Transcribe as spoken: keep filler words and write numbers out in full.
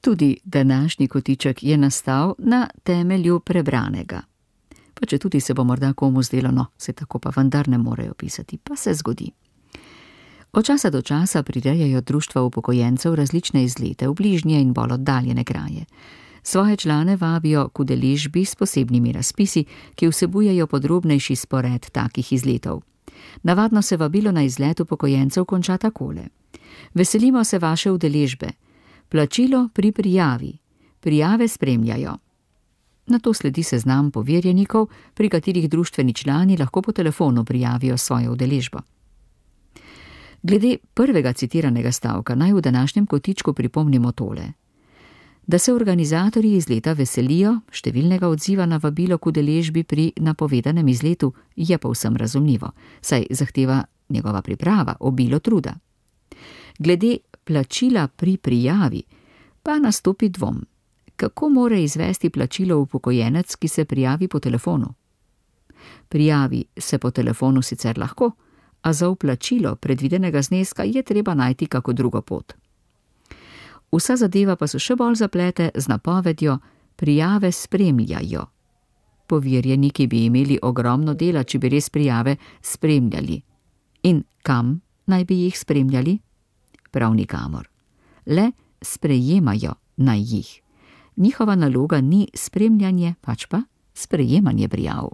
Tudi današnji kotiček je nastal na temelju prebranega. Pa če tudi se bo morda komu zdelo, no, se tako pa vendar ne morejo pisati, pa se zgodi. Od časa do časa prirejajo društva upokojencev različne izlete v bližnje in bolj oddaljene kraje. Svoje člane vabijo k udeležbi s posebnimi razpisi, ki vsebujejo podrobnejši spored takih izletov. Navadno se vabilo na izlet upokojencev konča takole. Veselimo se vaše udeležbe. Plačilo pri prijavi. Prijave spremljajo. Nato sledi seznam poverjenikov, pri katerih društveni člani lahko po telefonu prijavijo svojo udeležbo. Glede prvega citiranega stavka naj v današnjem kotičku pripomnimo tole. Da se organizatorji izleta veselijo številnega odziva na vabilo k udeležbi pri napovedanem izletu, je povsem razumljivo, saj zahteva njegova priprava obilo truda. Glede plačila pri prijavi pa nastopi dvom. Kako more izvesti plačilo upokojenec, ki se prijavi po telefonu? Prijavi se po telefonu sicer lahko, a za vplačilo predvidenega zneska je treba najti kako drugo pot. Vsa zadeva pa se še bolj zaplete z napovedjo prijave spremljajo. Poverjeniki bi imeli ogromno dela, če bi res prijave spremljali. In kam naj bi jih spremljali? Prav nikamor. Le sprejemajo naj jih. Njihova naloga ni spremljanje, pač pa sprejemanje prijav.